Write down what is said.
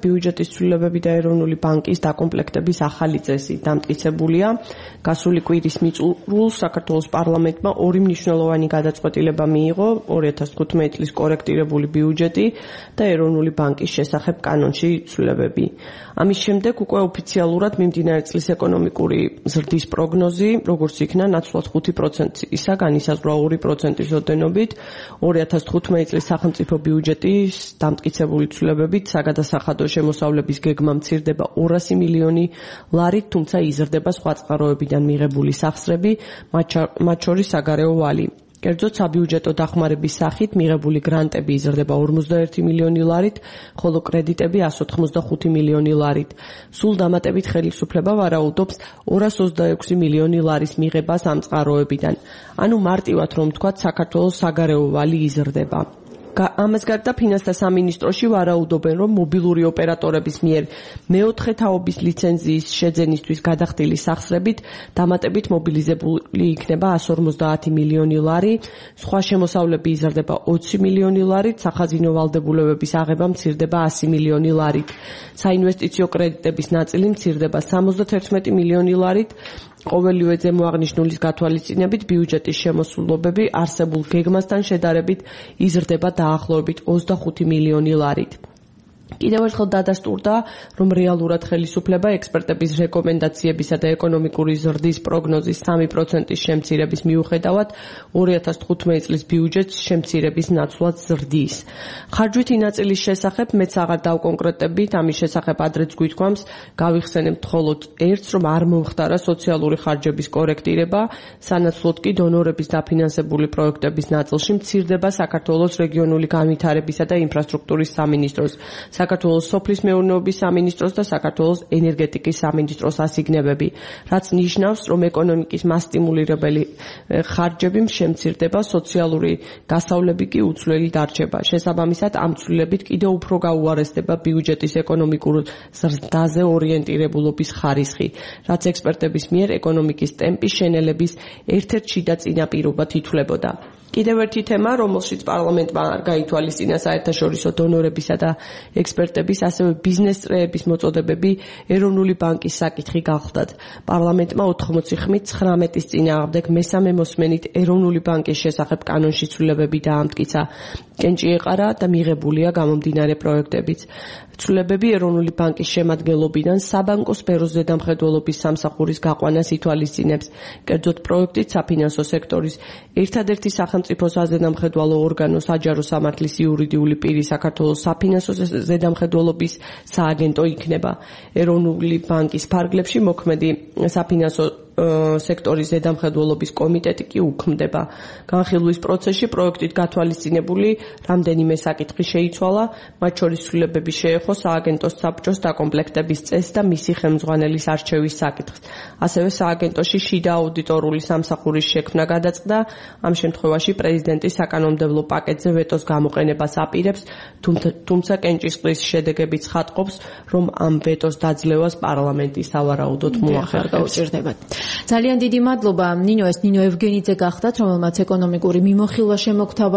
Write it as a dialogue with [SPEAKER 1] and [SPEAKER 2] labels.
[SPEAKER 1] ბიუჯეტის ცვლილებები და ეროვნული ბანკის დაკომპლექტების ახალი წესი დამტკიცებულია. გასული კვირის მიწურულს საქართველოს პარლამენტმა ორი მნიშვნელოვანი გადაწყვეტილება მიიღო 2015 წლის კორექტირებული ბიუჯეტი და ეროვნული ბანკის შესახებ კანონში ცვლილებები. ამის შემდეგ უკვე ოფიციალურად მიმდინარე წლის ეკონომიკური ზრდის პროგნოზი, როგორც იქნა ნაცვლად 5%-ისა განისაზღვრა 2%-ის ოდენობით 2015 წლის სახელმწიფო ბიუჯეტის დამტკიცებული ცვლილებებით საგადასახადო შემოსავლების გეგმა მცირდება 200 მილიონი ლარით, თუმცა იზრდება სხვა წყაროებიდან მიღებული სახსრები, მათ შორის საგარეო ვალი. კერძოდ საბიუჯეტო დახმარების სახით მიღებული გრანტები იზრდება 51 მილიონი ლარით, ხოლო კრედიტები 185 მილიონი ლარით. სულ დამატებით ხელისუფლება ვარაუდობს 226 მილიონი ლარის მიღებას ამ წყაროებიდან. ანუ მარტივად რომ ვთქვათ, საქართველოს საგარეო ვალი იზრდება. ამას გარდა ფინანსთა სამინისტროში ვარაუდობენ, რომ მობილური ოპერატორების მიერ მეოთხე თაობის ლიცენზიის შეძენისთვის გადახდილი სახსრებით დამატებით მობილიზებული იქნება 150 მილიონი ლარი, სხვა შემოსავლები იზრდება 20 მილიონი ლარით, სახაზინო ვალდებულებების აღება მცირდება 100 მილიონი ლარით. საინვესტიციო კრედიტების ნაწილი მცირდება 71 მილიონი ლარით. ყოველივე ზემოაღნიშნულის გათვალისწინებით ბიუჯეტის შემოსულობები არსებულ გეგმასთან შედარებით იზრდება დაახლოებით 25 მილიონი ლარით. კიდევ ერთხელ დადასტურდა, რომ რეალურად ხელისუფლება ექსპერტების რეკომენდაციებისა და ეკონომიკური ზრდის პროგნოზის 3%-ის შემცირების მიუხედავად 2015 წლის ბიუჯეტს შემცირების ნაცვლად ზრდის. ხარჯვითი ნაწილის შესახებ მეც აღარ დავკონკრეტებით, ამის შესახებ ადრეც გვითქვამს, გავიხსენებთ მხოლოდ ერთს, რომ არ მომხდარა სოციალური ხარჯების კორექტირება, სანაცვლოდ კი დონორების დაფინანსებული პროექტების ნაწილში მცირდება საქართველოს რეგიონული განვითარებისა და ინფრასტრუქტურის სამინისტროს, საქართველოს სოფლის მეურნეობის სამინისტროს და საქართველოს ენერგეტიკის სამინისტროს ასიგნებები, რაც ნიშნავს, რომ ეკონომიკის მასტიმულირებელი ხარჯები შემცირდება, სოციალური გასავლები კი უცვლელი დარჩება. შესაბამისად, ამ ცვლილებით კიდევ უფრო გაუარესდება ბიუჯეტის ეკონომიკურ ზრდაზე ორიენტირებულობის ხარისხი, რაც ექსპერტების მიერ ეკონომიკის ტემპის შენელების ერთ-ერთ შიდა წინაპირობად ითვლებოდა. კიდევ ერთი თემა, რომელშიც პარლამენტმა არ გაითვალისწინა საერთაშორისო დონორებისა და ექსპერტების, ასევე ბიზნეს წრეების მოწოდებები ეროვნული ბანკის საკითხი გახლდათ. პარლამენტმა 80 ხმით 19-ის წინააღმდეგ მესამე მოსმენით ეროვნული ბანკის შესახებ კანონში ცვლილებები დაამტკიცა. კენჭი ეყარა და მიღებულია გამომდინარე პროექტებიც. ცვლილებები ეროვნული ბანკის შემადგენლობიდან საბანკო სფეროს ზედამხედველობის სამსახურის გაყვანას ითვალისწინებს. კერძოდ პროექტით საფინანსო სექტორის ერთადერთი სახელმწიფო საზედამხედველო ორგანო საჯარო სამართლის იურიდიული პირი საქართველოს საფინანსო ზედამხედველობის სააგენტო იქნება. ეროვნული ბანკის ფარგლებში მოქმედი საფინანსო სექტორის ზედამხედველობის კომიტეტი კი უქმდება. განხილვის პროცესში პროექტით გათვალისწინებული რამდენიმე საკითხი შეიცვალა, მათ შორის ცვლილებები შეეხო სააგენტოს საბჭოს დაკომპლექტების წესს და მისი ხელმძღვანელის არჩევის საკითხს. ასევე სააგენტოში შიდა აუდიტორული სამსახურის შექმნა გადაწყდა. ამ შემთხვევაში პრეზიდენტი საკანონმდებლო პაკეტზე ვეტოს გამოყენებას აპირებს, თუმცა კენჭისყრის შედეგები ცხადყოფს, რომ ამ ვეტოს დაძლევას პარლამენტი სავარაუდოდ მოახერხებს.
[SPEAKER 2] ძალიან დიდი მადლობა. ნინო, ეს ნინო ევგენიძე გახდათ, რომელმაც ეკონომიკური მიმოხილვა შემოგთავაზა.